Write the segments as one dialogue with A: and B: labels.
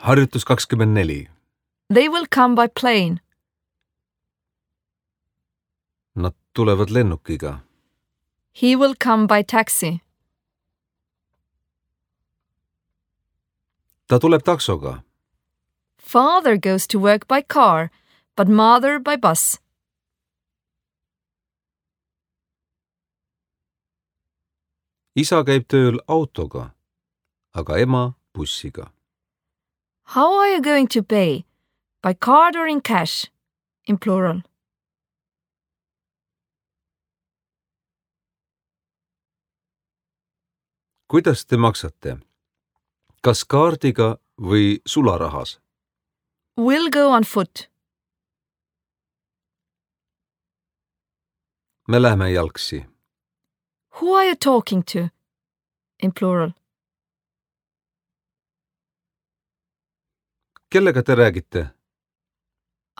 A: Harjutus 24.
B: They will come by plane.
A: Nad tulevad lennukiga.
B: He will come by taxi.
A: Ta tuleb taksoga.
B: Father goes to work by car, but mother by bus.
A: Isa käib tööl autoga, aga ema bussiga.
B: How are you going to pay? By card or in cash? In plural.
A: Kuidas te maksate? Kas kaardiga või sularahas?
B: We'll go on foot.
A: Me lähme jalgsi.
B: Who are you talking to? In plural.
A: Kellega te räägite?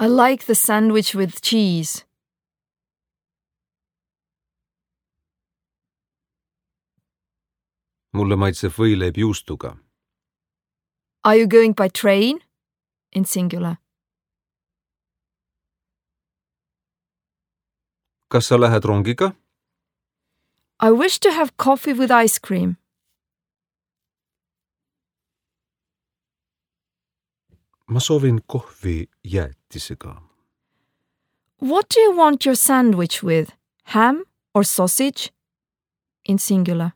B: I like the sandwich with cheese.
A: Mulle maitseb võileib juustuga.
B: Are you going by train? In singular.
A: Kas sa lähed rongiga?
B: I wish to have coffee with ice cream.
A: Ma soovin kohvi jäätisega.
B: What do you want your sandwich with? Ham or sausage? In singular.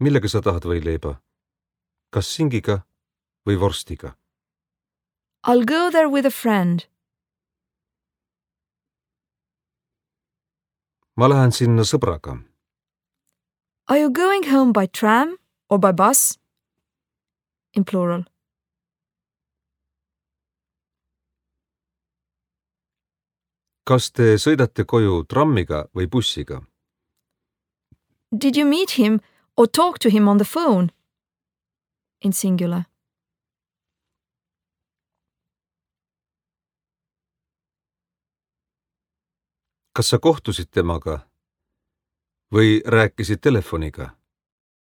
A: Millega sa tahad võileiba? Kas singiga või vorstiga?
B: I'll go there with a friend.
A: Ma lähen sinna sõbraga.
B: Are you going home by tram or by bus? In plural.
A: Kas te sõidate koju trammiga või bussiga?
B: Did you meet him or talk to him on the phone? In singular.
A: Kas sa kohtusid temaga või rääkisid telefoniga?